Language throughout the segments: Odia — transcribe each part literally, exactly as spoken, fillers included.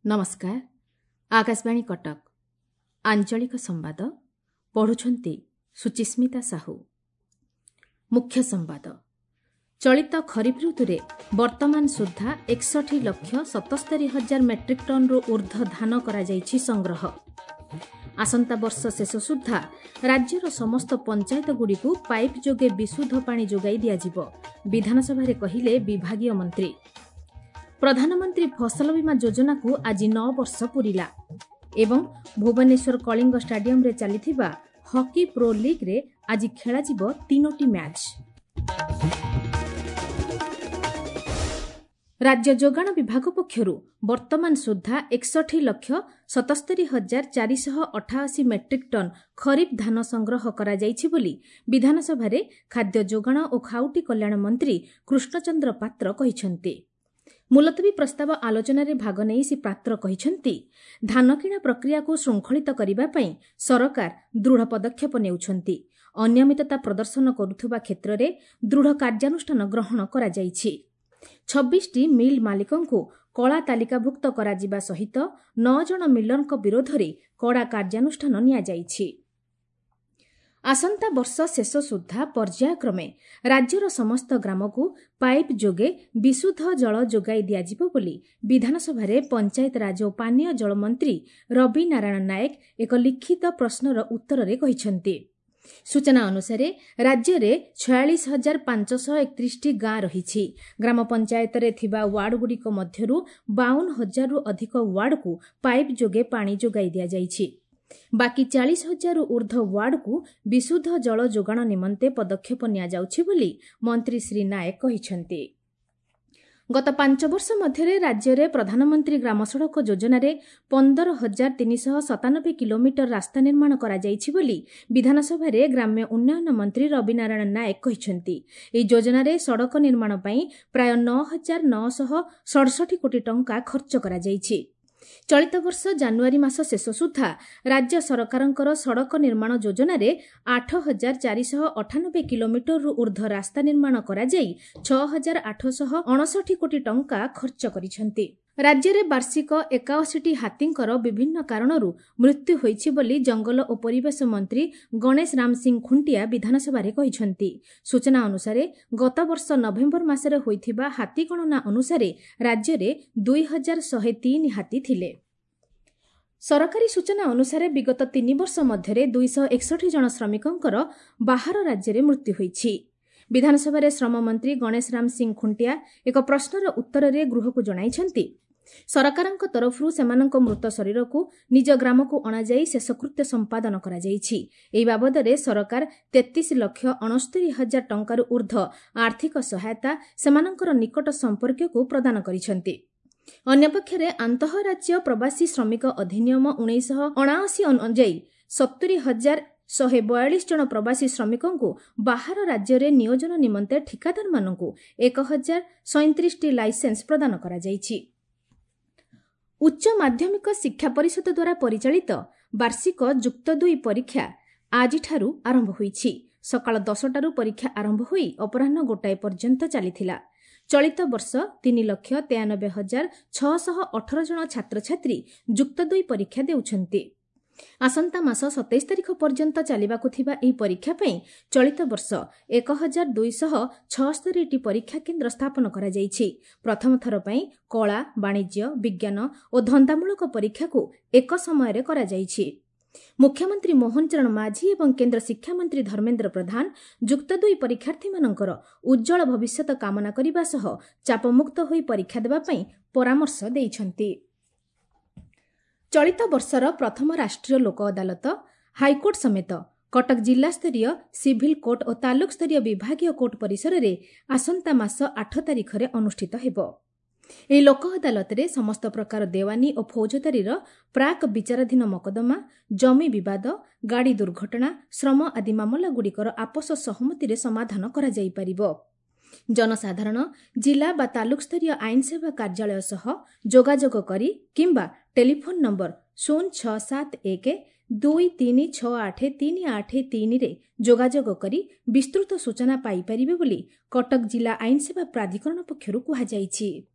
ନମସ୍କାର, ଆକାଶବାଣୀ କଟକ, ଆଞ୍ଚଳିକ ସମ୍ବାଦ ପଢ଼ୁଛନ୍ତି ସୁଚିସ୍ମିତା ସାହୁ। ମୁଖ୍ୟ ସମ୍ବାଦ। ଚଳିତ ଖରିଫ ଋତୁରେ ବର୍ତ୍ତମାନ ସୁଦ୍ଧା ଏକଷଠି ଲକ୍ଷ ସତସ୍ତରୀ ହଜାର ମେଟ୍ରିକ୍ ଟନ୍ରୁ ଊର୍ଦ୍ଧ୍ୱ ଧାନ କରାଯାଇଛି ସଂଗ୍ରହ। ଆସନ୍ତା ବର୍ଷ ଶେଷ ସୁଦ୍ଧା ରାଜ୍ୟର ସମସ୍ତ ପଞ୍ଚାୟତଗୁଡ଼ିକୁ ପାଇପ୍ ଯୋଗେ ବିଶୁଦ୍ଧ ପାଣି ଯୋଗାଇ ଦିଆଯିବ, ବିଧାନସଭାରେ କହିଲେ ବିଭାଗୀୟ ମନ୍ତ୍ରୀ। ପ୍ରଧାନମନ୍ତ୍ରୀ ଫସଲ ବୀମା ଯୋଜନାକୁ ଆଜି ନଅ ବର୍ଷ ପୂରିଲା ଏବଂ ଭୁବନେଶ୍ୱର କଳିଙ୍ଗ ଷ୍ଟାଡିୟମରେ ଚାଲିଥିବା ହକି ପ୍ରୋ ଲିଗ୍ରେ ଆଜି ଖେଳାଯିବ ତିନୋଟି ମ୍ୟାଚ୍। ରାଜ୍ୟ ଯୋଗାଣ ବିଭାଗ ପକ୍ଷରୁ ବର୍ତ୍ତମାନ ସୁଦ୍ଧା ଏକଷଠି ଲକ୍ଷ ସତସ୍ତରୀ ହଜାର ଚାରିଶହ ଅଠାଅଶୀ ମେଟ୍ରିକ୍ ଟନ୍ ଖରିଫ ଧାନ ସଂଗ୍ରହ କରାଯାଇଛି ବୋଲି ବିଧାନସଭାରେ ଖାଦ୍ୟ ଯୋଗାଣ ଓ ଖାଉଟି କଲ୍ୟାଣ ମନ୍ତ୍ରୀ କୃଷ୍ଣଚନ୍ଦ୍ର ପାତ୍ର କହିଛନ୍ତି। ମୁଲତବୀ ପ୍ରସ୍ତାବ ଆଲୋଚନାରେ ଭାଗ ନେଇ ଶ୍ରୀ ପାତ୍ର କହିଛନ୍ତି, ଧାନ କିଣା ପ୍ରକ୍ରିୟାକୁ ଶୃଙ୍ଖଳିତ କରିବା ପାଇଁ ସରକାର ଦୃଢ଼ ପଦକ୍ଷେପ ନେଉଛନ୍ତି। ଅନିୟମିତତା ପ୍ରଦର୍ଶନ କରୁଥିବା କ୍ଷେତ୍ରରେ ଦୃଢ଼ କାର୍ଯ୍ୟାନୁଷ୍ଠାନ ଗ୍ରହଣ କରାଯାଇଛି। ଛବିଶଟି ମିଲ୍ ମାଲିକଙ୍କୁ କଳା ତାଲିକାଭୁକ୍ତ କରାଯିବା ସହିତ ନଅ ଜଣ ମିଲରଙ୍କ ବିରୋଧରେ କଡ଼ା କାର୍ଯ୍ୟାନୁଷ୍ଠାନ ନିଆଯାଇଛି। ଆସନ୍ତା ବର୍ଷ ଶେଷ ସୁଦ୍ଧା ପର୍ଯ୍ୟାୟକ୍ରମେ ରାଜ୍ୟର ସମସ୍ତ ଗ୍ରାମକୁ ପାଇପ୍ ଯୋଗେ ବିଶୁଦ୍ଧ ଜଳ ଯୋଗାଇ ଦିଆଯିବ ବୋଲି ବିଧାନସଭାରେ ପଞ୍ଚାୟତରାଜ ଓ ପାନୀୟ ଜଳ ମନ୍ତ୍ରୀ ରବି ନାରାୟଣ ନାଏକ ଏକ ଲିଖିତ ପ୍ରଶ୍ନର ଉତ୍ତରରେ କହିଛନ୍ତି। ସୂଚନା ଅନୁସାରେ ରାଜ୍ୟରେ ଛୟାଳିଶ ହଜାର ପାଞ୍ଚଶହ ଏକତିରିଶଟି ଗାଁ ରହିଛି। ଗ୍ରାମ ପଞ୍ଚାୟତରେ ଥିବା ୱାର୍ଡଗୁଡ଼ିକ ମଧ୍ୟରୁ ବାଉନ ହଜାରରୁ ଅଧିକ ୱାର୍ଡକୁ ପାଇପ୍ ଯୋଗେ ପାଣି ଯୋଗାଇ ଦିଆଯାଇଛି। ବାକି ଚାଳିଶ ହଜାରରୁ ଊର୍ଦ୍ଧ୍ୱ ୱାର୍ଡକୁ ବିଶୁଦ୍ଧ ଜଳ ଯୋଗାଣ ନିମନ୍ତେ ପଦକ୍ଷେପ ନିଆଯାଉଛି ବୋଲି ମନ୍ତ୍ରୀ ଶ୍ରୀ ନାଏକ କହିଛନ୍ତି। ଗତ ପାଞ୍ଚ ବର୍ଷ ମଧ୍ୟରେ ରାଜ୍ୟରେ ପ୍ରଧାନମନ୍ତ୍ରୀ ଗ୍ରାମ ସଡ଼କ ଯୋଜନାରେ ପନ୍ଦର ହଜାର ତିନିଶହ ସତାନବେ କିଲୋମିଟର ରାସ୍ତା ନିର୍ମାଣ କରାଯାଇଛି ବୋଲି ବିଧାନସଭାରେ ଗ୍ରାମ୍ୟ ଉନ୍ନୟନ ମନ୍ତ୍ରୀ ରବିନାରାୟଣ ନାଏକ କହିଛନ୍ତି। ଏହି ଯୋଜନାରେ ସଡ଼କ ନିର୍ମାଣ ପାଇଁ ପ୍ରାୟ ନଅ ହଜାର ନଅଶହ ସଡ଼ଷଠି କୋଟି ଟଙ୍କା ଖର୍ଚ୍ଚ କରାଯାଇଛି। ଚଳିତ ବର୍ଷ ଜାନୁଆରୀ ମାସ ଶେଷ ସୁଦ୍ଧା ରାଜ୍ୟ ସରକାରଙ୍କର ସଡ଼କ ନିର୍ମାଣ ଯୋଜନାରେ ଆଠ ହଜାର ଚାରିଶହ ଅଠାନବେ କିଲୋମିଟରରୁ ଊର୍ଦ୍ଧ୍ୱ ରାସ୍ତା ନିର୍ମାଣ କରାଯାଇ ଛଅ ହଜାର ଆଠଶହ ଅଣଷଠି କୋଟି ଟଙ୍କା ଖର୍ଚ୍ଚ କରିଛନ୍ତି। ରାଜ୍ୟରେ ବାର୍ଷିକ ଏକାଅଶୀଟି ହାତୀଙ୍କର ବିଭିନ୍ନ କାରଣରୁ ମୃତ୍ୟୁ ହୋଇଛି ବୋଲି ଜଙ୍ଗଲ ଓ ପରିବେଶ ମନ୍ତ୍ରୀ ଗଣେଶ ରାମ ସିଂ ଖୁଣ୍ଟିଆ ବିଧାନସଭାରେ କହିଛନ୍ତି। ସୂଚନା ଅନୁସାରେ ଗତବର୍ଷ ନଭେମ୍ବର ମାସରେ ହୋଇଥିବା ହାତୀ ଗଣନା ଅନୁସାରେ ରାଜ୍ୟରେ ଦୁଇ ହଜାର ଶହେ ତିନି ହାତୀ ଥିଲେ। ସରକାରୀ ସୂଚନା ଅନୁସାରେ ବିଗତ ତିନି ବର୍ଷ ମଧ୍ୟରେ ଦୁଇଶହ ଏକଷଠି ଜଣ ଶ୍ରମିକଙ୍କର ବାହାର ରାଜ୍ୟରେ ମୃତ୍ୟୁ ହୋଇଛି। ବିଧାନସଭାରେ ଶ୍ରମମନ୍ତ୍ରୀ ଗଣେଶ ରାମ ସିଂ ଖୁଣ୍ଟିଆ ଏକ ପ୍ରଶ୍ନର ଉତ୍ତରରେ ଗୃହକୁ ଜଣାଇଛନ୍ତି, ସରକାରଙ୍କ ତରଫରୁ ସେମାନଙ୍କ ମୃତ ଶରୀରକୁ ନିଜ ଗ୍ରାମକୁ ଅଣାଯାଇ ଶେଷକୃତ୍ୟ ସମ୍ପାଦନ କରାଯାଇଛି। ଏହି ବାବଦରେ ସରକାର ତେତିଶ ଲକ୍ଷ ଅଣସ୍ତରୀ ହଜାର ଟଙ୍କାରୁ ଊର୍ଦ୍ଧ୍ୱ ଆର୍ଥିକ ସହାୟତା ସେମାନଙ୍କର ନିକଟ ସମ୍ପର୍କୀୟକୁ ପ୍ରଦାନ କରିଛନ୍ତି। ଅନ୍ୟପକ୍ଷରେ ଆନ୍ତଃରାଜ୍ୟ ପ୍ରବାସୀ ଶ୍ରମିକ ଅଧିନିୟମ ଉଣେଇଶହ ଅଣାଅଶୀ ଅନୁଯାୟୀ ସତୁରି ହଜାର ଶହେ ବୟାଳିଶ ଜଣ ପ୍ରବାସୀ ଶ୍ରମିକଙ୍କୁ ବାହାର ରାଜ୍ୟରେ ନିୟୋଜନ ନିମନ୍ତେ ଠିକାଦାରମାନଙ୍କୁ ଏକ ହଜାର ସଇଁତିରିଶଟି ଲାଇସେନ୍ସ ପ୍ରଦାନ କରାଯାଇଛି। ଉଚ୍ଚ ମାଧ୍ୟମିକ ଶିକ୍ଷା ପରିଷଦ ଦ୍ୱାରା ପରିଚାଳିତ ବାର୍ଷିକ ଯୁକ୍ତ ଦୁଇ ପରୀକ୍ଷା ଆଜିଠାରୁ ଆରମ୍ଭ ହୋଇଛି। ସକାଳ ଦଶଟାରୁ ପରୀକ୍ଷା ଆରମ୍ଭ ହୋଇ ଅପରାହ୍ନ ଗୋଟାଏ ପର୍ଯ୍ୟନ୍ତ ଚାଲିଥିଲା। ଚଳିତ ବର୍ଷ ତିନି ଲକ୍ଷ ତେୟାନବେ ହଜାର ଛଅଶହ ଅଠର ଜଣ ଛାତ୍ରଛାତ୍ରୀ ଯୁକ୍ତ ଦୁଇ ପରୀକ୍ଷା ଦେଉଛନ୍ତି। ଆସନ୍ତା ମାସ ସତେଇଶ ତାରିଖ ପର୍ଯ୍ୟନ୍ତ ଚାଲିବାକୁ ଥିବା ଏହି ପରୀକ୍ଷା ପାଇଁ ଚଳିତ ବର୍ଷ ଏକ ହଜାର ଦୁଇଶହ ଛଅସ୍ତରୀଟି ପରୀକ୍ଷା କେନ୍ଦ୍ର ସ୍ଥାପନ କରାଯାଇଛି। ପ୍ରଥମ ଥର ପାଇଁ କଳା, ବାଣିଜ୍ୟ, ବିଜ୍ଞାନ ଓ ଧନ୍ଦାମୂଳକ ପରୀକ୍ଷାକୁ ଏକ ସମୟରେ କରାଯାଇଛି। ମୁଖ୍ୟମନ୍ତ୍ରୀ ମୋହନ ଚରଣ ମାଝୀ ଏବଂ କେନ୍ଦ୍ର ଶିକ୍ଷାମନ୍ତ୍ରୀ ଧର୍ମେନ୍ଦ୍ର ପ୍ରଧାନ ଯୁକ୍ତ ଦୁଇ ପରୀକ୍ଷାର୍ଥୀମାନଙ୍କର ଉଜ୍ଜ୍ୱଳ ଭବିଷ୍ୟତ କାମନା କରିବା ସହ ଚାପମୁକ୍ତ ହୋଇ ପରୀକ୍ଷା ଦେବା ପାଇଁ ପରାମର୍ଶ ଦେଇଛନ୍ତି। ଚଳିତ ବର୍ଷର ପ୍ରଥମ ରାଷ୍ଟ୍ରୀୟ ଲୋକ ଅଦାଲତ ହାଇକୋର୍ଟ ସମେତ କଟକ ଜିଲ୍ଲାସ୍ତରୀୟ ସିଭିଲ୍ କୋର୍ଟ ଓ ତାଲୁକସ୍ତରୀୟ ବିଭାଗୀୟ କୋର୍ଟ ପରିସରରେ ଆସନ୍ତା ମାସ ଆଠ ତାରିଖରେ ଅନୁଷ୍ଠିତ ହେବ। ଏହି ଲୋକ ଅଦାଲତରେ ସମସ୍ତ ପ୍ରକାର ଦେୱାନୀ ଓ ଫୌଜଦାରୀର ପ୍ରାକ୍ ବିଚାରାଧୀନ ମକଦ୍ଦମା, ଜମି ବିବାଦ, ଗାଡ଼ି ଦୁର୍ଘଟଣା, ଶ୍ରମ ଆଦି ମାମଲାଗୁଡ଼ିକର ଆପୋଷ ସହମତିରେ ସମାଧାନ କରାଯାଇପାରିବ। ଜନସାଧାରଣ ଜିଲ୍ଲା ବା ତାଲୁକସ୍ତରୀୟ ଆଇନ ସେବା କାର୍ଯ୍ୟାଳୟ ସହ ଯୋଗାଯୋଗ କରି କିମ୍ବା ଟେଲିଫୋନ୍ ନମ୍ବର ଶୂନ ଛଅ ସାତ ଏକ ଦୁଇ ତିନି ଛଅ ଆଠ ତିନି ଆଠ ତିନିରେ ଯୋଗାଯୋଗ କରି ବିସ୍ତୃତ ସୂଚନା ପାଇପାରିବେ ବୋଲି କଟକ ଜିଲ୍ଲା ଆଇନ ସେବା ପ୍ରାଧିକରଣ ପକ୍ଷରୁ କୁହାଯାଇଛି।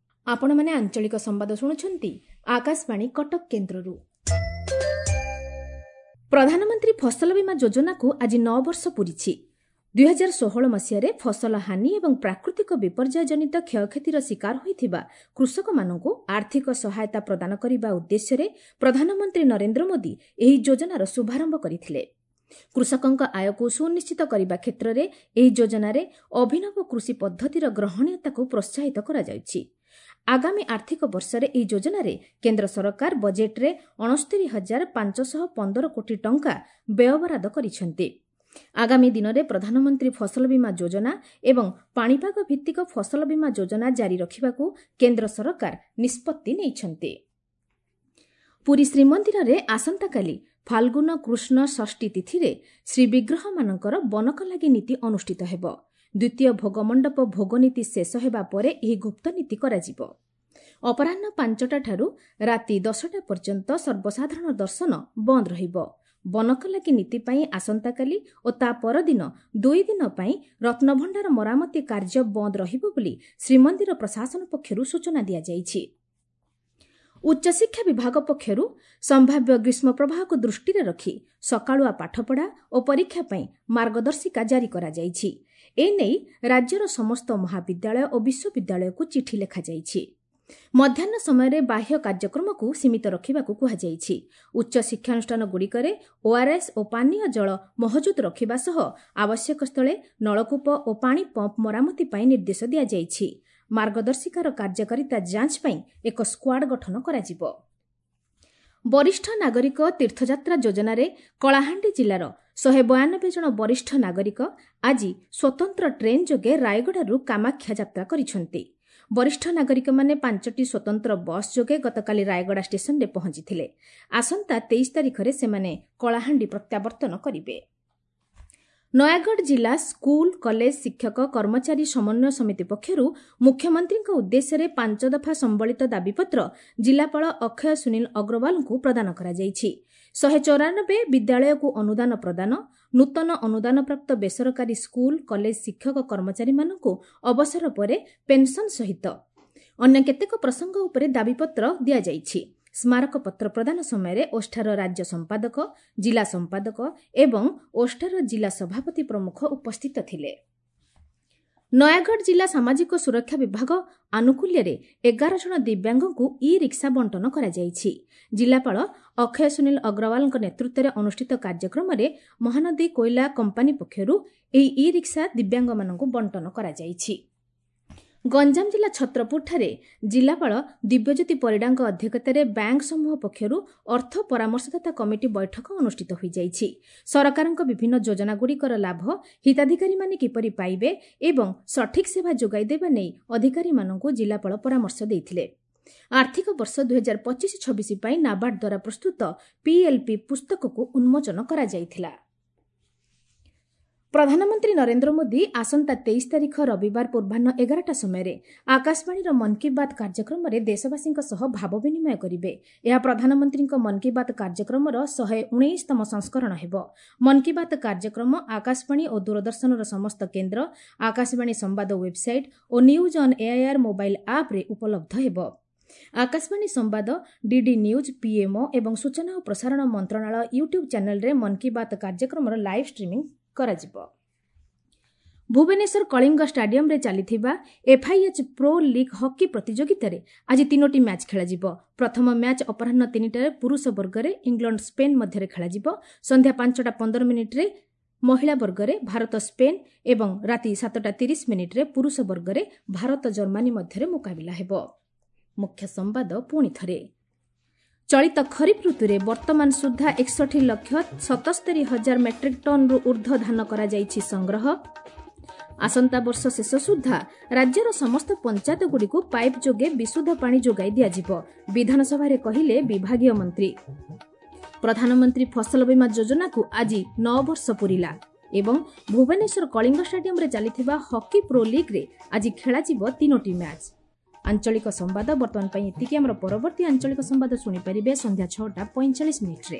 ଆପଣମାନେ ଆଞ୍ଚଳିକ ସମ୍ବାଦ ଶୁଣୁଛନ୍ତି ଆକାଶବାଣୀ କଟକ କେନ୍ଦ୍ରରୁ। ପ୍ରଧାନମନ୍ତ୍ରୀ ଫସଲ ବୀମା ଯୋଜନାକୁ ଆଜି ନଅ ବର୍ଷ ପୂରିଛି। ଦୁଇହଜାର ଷୋହଳ ମସିହାରେ ଫସଲ ହାନି ଏବଂ ପ୍ରାକୃତିକ ବିପର୍ଯ୍ୟୟ ଜନିତ କ୍ଷୟକ୍ଷତିର ଶିକାର ହୋଇଥିବା କୃଷକମାନଙ୍କୁ ଆର୍ଥିକ ସହାୟତା ପ୍ରଦାନ କରିବା ଉଦ୍ଦେଶ୍ୟରେ ପ୍ରଧାନମନ୍ତ୍ରୀ ନରେନ୍ଦ୍ର ମୋଦି ଏହି ଯୋଜନାର ଶୁଭାରମ୍ଭ କରିଥିଲେ। କୃଷକଙ୍କ ଆୟକୁ ସୁନିଶ୍ଚିତ କରିବା କ୍ଷେତ୍ରରେ ଏହି ଯୋଜନାରେ ଅଭିନବ କୃଷି ପଦ୍ଧତିର ଗ୍ରହଣୀୟତାକୁ ପ୍ରୋତ୍ସାହିତ କରାଯାଉଛି। ଆଗାମୀ ଆର୍ଥିକ ବର୍ଷରେ ଏହି ଯୋଜନାରେ କେନ୍ଦ୍ର ସରକାର ବଜେଟ୍ରେ ଅଣସ୍ତରୀ ହଜାର ପାଞ୍ଚଶହ ପନ୍ଦର କୋଟି ଟଙ୍କା ବ୍ୟୟବରାଦ କରିଛନ୍ତି। ଆଗାମୀ ଦିନରେ ପ୍ରଧାନମନ୍ତ୍ରୀ ଫସଲ ବୀମା ଯୋଜନା ଏବଂ ପାଣିପାଗ ଭିତ୍ତିକ ଫସଲ ବୀମା ଯୋଜନା ଜାରି ରଖିବାକୁ କେନ୍ଦ୍ର ସରକାର ନିଷ୍ପତ୍ତି ନେଇଛନ୍ତି। ପୁରୀ ଶ୍ରୀମନ୍ଦିରରେ ଆସନ୍ତାକାଲି ଫାଲ୍ଗୁନ କୃଷ୍ଣ ଷଷ୍ଠୀ ତିଥିରେ ଶ୍ରୀବିଗ୍ରହମାନଙ୍କର ବନକଲାଗି ନୀତି ଅନୁଷ୍ଠିତ ହେବ। ଦ୍ୱିତୀୟ ଭୋଗମଣ୍ଡପ ଭୋଗନୀତି ଶେଷ ହେବା ପରେ ଏହି ଗୁପ୍ତ ନୀତି କରାଯିବ। ଅପରାହ୍ନ ପାଞ୍ଚଟାଠାରୁ ରାତି ଦଶଟା ପର୍ଯ୍ୟନ୍ତ ସର୍ବସାଧାରଣ ଦର୍ଶନ ବନ୍ଦ ରହିବ। ବନକଲାଗି ନୀତି ପାଇଁ ଆସନ୍ତାକାଲି ଓ ତା ପରଦିନ ଦୁଇ ଦିନ ପାଇଁ ରତ୍ନଭଣ୍ଡାର ମରାମତି କାର୍ଯ୍ୟ ବନ୍ଦ ରହିବ ବୋଲି ଶ୍ରୀମନ୍ଦିର ପ୍ରଶାସନ ପକ୍ଷରୁ ସୂଚନା ଦିଆଯାଇଛି। ଉଚ୍ଚଶିକ୍ଷା ବିଭାଗ ପକ୍ଷରୁ ସମ୍ଭାବ୍ୟ ଗ୍ରୀଷ୍ମ ପ୍ରବାହକୁ ଦୃଷ୍ଟିରେ ରଖି ସକାଳୁଆ ପାଠପଢ଼ା ଓ ପରୀକ୍ଷା ପାଇଁ ମାର୍ଗଦର୍ଶିକା ଜାରି କରାଯାଇଛି। ଏନେଇ ରାଜ୍ୟର ସମସ୍ତ ମହାବିଦ୍ୟାଳୟ ଓ ବିଶ୍ୱବିଦ୍ୟାଳୟକୁ ଚିଠି ଲେଖାଯାଇଛି। ମଧ୍ୟାହ୍ନ ସମୟରେ ବାହ୍ୟ କାର୍ଯ୍ୟକ୍ରମକୁ ସୀମିତ ରଖିବାକୁ କୁହାଯାଇଛି। ଉଚ୍ଚ ଶିକ୍ଷାନୁଷ୍ଠାନଗୁଡ଼ିକରେ ଓଆର୍ଏସ୍ ଓ ପାନୀୟ ଜଳ ମହଜୁଦ ରଖିବା ସହ ଆବଶ୍ୟକ ସ୍ଥଳେ ନଳକୂପ ଓ ପାଣି ପମ୍ପ ମରାମତି ପାଇଁ ନିର୍ଦ୍ଦେଶ ଦିଆଯାଇଛି। ମାର୍ଗଦର୍ଶିକାର କାର୍ଯ୍ୟକାରିତା ଯାଞ୍ଚ ପାଇଁ ଏକ ସ୍କ୍ୱାଡ୍ ଗଠନ କରାଯିବ। ବରିଷ୍ଠ ନାଗରିକ ତୀର୍ଥଯାତ୍ରା ଯୋଜନାରେ କଳାହାଣ୍ଡି ଜିଲ୍ଲାର ଶହେ ବୟାନବେ ଜଣ ବରିଷ୍ଠ ନାଗରିକ ଆଜି ସ୍ୱତନ୍ତ୍ର ଟ୍ରେନ୍ ଯୋଗେ ରାୟଗଡ଼ାରୁ କାମାକ୍ଷା ଯାତ୍ରା କରିଛନ୍ତି। ବରିଷ୍ଠ ନାଗରିକମାନେ ପାଞ୍ଚଟି ସ୍ୱତନ୍ତ୍ର ବସ୍ ଯୋଗେ ଗତକାଲି ରାୟଗଡ଼ା ଷ୍ଟେସନରେ ପହଞ୍ଚିଥିଲେ। ଆସନ୍ତା ତେଇଶ ତାରିଖରେ ସେମାନେ କଳାହାଣ୍ଡି ପ୍ରତ୍ୟାବର୍ତ୍ତନ କରିବେ। ନୟାଗଡ଼ ଜିଲ୍ଲା ସ୍କୁଲ କଲେଜ ଶିକ୍ଷକ କର୍ମଚାରୀ ସମନ୍ୱୟ ସମିତି ପକ୍ଷରୁ ମୁଖ୍ୟମନ୍ତ୍ରୀଙ୍କ ଉଦ୍ଦେଶ୍ୟରେ ପାଞ୍ଚ ଦଫା ସମ୍ବଳିତ ଦାବିପତ୍ର ଜିଲ୍ଲାପାଳ ଅକ୍ଷୟ ସୁନୀଲ ଅଗ୍ରୱାଲଙ୍କୁ ପ୍ରଦାନ କରାଯାଇଛି। ଶହେ ଚଉରାନବେ ବିଦ୍ୟାଳୟକୁ ଅନୁଦାନ ପ୍ରଦାନ, ନୂତନ ଅନୁଦାନପ୍ରାପ୍ତ ବେସରକାରୀ ସ୍କୁଲ କଲେଜ ଶିକ୍ଷକ କର୍ମଚାରୀମାନଙ୍କୁ ଅବସର ପରେ ପେନ୍ସନ୍ ସହିତ ଅନ୍ୟ କେତେକ ପ୍ରସଙ୍ଗ ଉପରେ ଦାବିପତ୍ର ଦିଆଯାଇଛି। ସ୍ମାରକପତ୍ର ପ୍ରଦାନ ସମୟରେ ଓଷ୍ଠାର ରାଜ୍ୟ ସମ୍ପାଦକ, ଜିଲ୍ଲା ସମ୍ପାଦକ ଏବଂ ଓଷ୍ଠାର ଜିଲ୍ଲା ସଭାପତି ପ୍ରମୁଖ ଉପସ୍ଥିତ ଥିଲେ। ନୟାଗଡ଼ ଜିଲ୍ଲା ସାମାଜିକ ସୁରକ୍ଷା ବିଭାଗ ଆନୁକୂଲ୍ୟରେ ଏଗାର ଜଣ ଦିବ୍ୟାଙ୍ଗଙ୍କୁ ଇ ରିକ୍ସା ବଣ୍ଟନ କରାଯାଇଛି। ଜିଲ୍ଲାପାଳ ଅକ୍ଷୟ ସୁନୀଲ ଅଗ୍ରୱାଲଙ୍କ ନେତୃତ୍ୱରେ ଅନୁଷ୍ଠିତ କାର୍ଯ୍ୟକ୍ରମରେ ମହାନଦୀ କୋଇଲା କମ୍ପାନୀ ପକ୍ଷରୁ ଏହି ଇ ରିକ୍ସା ଦିବ୍ୟାଙ୍ଗମାନଙ୍କୁ ବଣ୍ଟନ କରାଯାଇଛି। ଗଞ୍ଜାମ ଜିଲ୍ଲା ଛତ୍ରପୁରଠାରେ ଜିଲ୍ଲାପାଳ ଦିବ୍ୟଜ୍ୟୋତି ପରିଡ଼ାଙ୍କ ଅଧ୍ୟକ୍ଷତାରେ ବ୍ୟାଙ୍କ ସମୂହ ପକ୍ଷରୁ ଅର୍ଥ ପରାମର୍ଶଦାତା କମିଟି ବୈଠକ ଅନୁଷ୍ଠିତ ହୋଇଯାଇଛି। ସରକାରଙ୍କ ବିଭିନ୍ନ ଯୋଜନାଗୁଡ଼ିକର ଲାଭ ହିତାଧିକାରୀମାନେ କିପରି ପାଇବେ ଏବଂ ସଠିକ୍ ସେବା ଯୋଗାଇ ଦେବା ନେଇ ଅଧିକାରୀମାନଙ୍କୁ ଜିଲ୍ଲାପାଳ ପରାମର୍ଶ ଦେଇଥିଲେ। ଆର୍ଥିକ ବର୍ଷ ଦୁଇହଜାର ପଚିଶ ଛବିଶ ପାଇଁ ନାବାର୍ଡ ଦ୍ୱାରା ପ୍ରସ୍ତୁତ ପିଏଲ୍ପି ପୁସ୍ତକକୁ ଉନ୍ମୋଚନ କରାଯାଇଥିଲା। ପ୍ରଧାନମନ୍ତ୍ରୀ ନରେନ୍ଦ୍ର ମୋଦି ଆସନ୍ତା ତେଇଶ ତାରିଖ ରବିବାର ପୂର୍ବାହ୍ନ ଏଗାରଟା ସମୟରେ ଆକାଶବାଣୀର ମନ୍ କି ବାତ୍ କାର୍ଯ୍ୟକ୍ରମରେ ଦେଶବାସୀଙ୍କ ସହ ଭାବ ବିନିମୟ କରିବେ। ଏହା ପ୍ରଧାନମନ୍ତ୍ରୀଙ୍କ ମନ୍ କି ବାତ୍ କାର୍ଯ୍ୟକ୍ରମର ଶହେ ଉଣେଇଶତମ ସଂସ୍କରଣ ହେବ। ମନ୍ କି ବାତ୍ କାର୍ଯ୍ୟକ୍ରମ ଆକାଶବାଣୀ ଓ ଦୂରଦର୍ଶନର ସମସ୍ତ କେନ୍ଦ୍ର, ଆକାଶବାଣୀ ସମ୍ବାଦ website O news on AIR mobile ଆପ୍ରେ ଉପଲବ୍ଧ ହେବ। ଆକାଶବାଣୀ ସମ୍ବାଦ, ଡିଡି ନ୍ୟୁଜ୍, ପିଏମ୍ଓ ଏବଂ ସୂଚନା ଓ ପ୍ରସାରଣ ମନ୍ତ୍ରଣାଳୟ ୟୁଟ୍ୟୁବ୍ ଚ୍ୟାନେଲ୍ରେ ମନ୍ କି ବାତ୍ କାର୍ଯ୍ୟକ୍ରମର ଲାଇଭ୍ ଷ୍ଟ୍ରିମିଂ କରାଯିବ। ଭୁବନେଶ୍ୱର କଳିଙ୍ଗ ଷ୍ଟାଡିୟମରେ ଚାଲିଥିବା ଏଫ୍ଆଇଏଚ୍ ପ୍ରୋ ଲିଗ୍ ହକି ପ୍ରତିଯୋଗିତାରେ ଆଜି ତିନୋଟି ମ୍ୟାଚ୍ ଖେଳାଯିବ। ପ୍ରଥମ ମ୍ୟାଚ୍ ଅପରାହ୍ନ ତିନିଟାରେ ପୁରୁଷ ବର୍ଗରେ ଇଂଲଣ୍ଡ ସ୍ପେନ୍ ମଧ୍ୟରେ ଖେଳାଯିବ। ସନ୍ଧ୍ୟା ପାଞ୍ଚଟା ପନ୍ଦର ମିନିଟ୍ରେ ମହିଳା ବର୍ଗରେ ଭାରତ ସ୍ପେନ୍ ଏବଂ ରାତି ସାତଟା ତିରିଶ ମିନିଟ୍ରେ ପୁରୁଷ ବର୍ଗରେ ଭାରତ ଜର୍ମାନୀ ମଧ୍ୟରେ ମୁକାବିଲା ହେବ। ମୁଖ୍ୟ ସମ୍ବାଦ ପୁଣି ଥରେ। ଚଳିତ ଖରିଫ ଋତୁରେ ବର୍ତ୍ତମାନ ସୁଦ୍ଧା ଏକଷଠି ଲକ୍ଷ ସତସ୍ତରୀ ହଜାର ମେଟ୍ରିକ୍ ଟନ୍ରୁ ଊର୍ଦ୍ଧ୍ୱ ଧାନ କରାଯାଇଛି ସଂଗ୍ରହ। ଆସନ୍ତା ବର୍ଷ ଶେଷ ସୁଦ୍ଧା ରାଜ୍ୟର ସମସ୍ତ ପଞ୍ଚାୟତଗୁଡ଼ିକୁ ପାଇପ୍ ଯୋଗେ ବିଶୁଦ୍ଧ ପାଣି ଯୋଗାଇ ଦିଆଯିବ, ବିଧାନସଭାରେ କହିଲେ ବିଭାଗୀୟ ମନ୍ତ୍ରୀ। ପ୍ରଧାନମନ୍ତ୍ରୀ ଫସଲ ବୀମା ଯୋଜନାକୁ ଆଜି ନଅ ବର୍ଷ ପୂରିଲା ଏବଂ ଭୁବନେଶ୍ୱର କଳିଙ୍ଗ ଷ୍ଟାଡିୟମରେ ଚାଲିଥିବା ହକି ପ୍ରୋ ଲିଗ୍ରେ ଆଜି ଖେଳାଯିବ ତିନୋଟି ମ୍ୟାଚ୍। ଆଞ୍ଚଳିକ ସମ୍ବାଦ ବର୍ତ୍ତମାନ ପାଇଁ ଏତିକି। ଆମର ପରବର୍ତ୍ତୀ ଆଞ୍ଚଳିକ ସମ୍ବାଦ ଶୁଣିପାରିବେ ସନ୍ଧ୍ୟା ଛଅଟା ପଇଁଚାଳିଶ ମିନିଟ୍ରେ।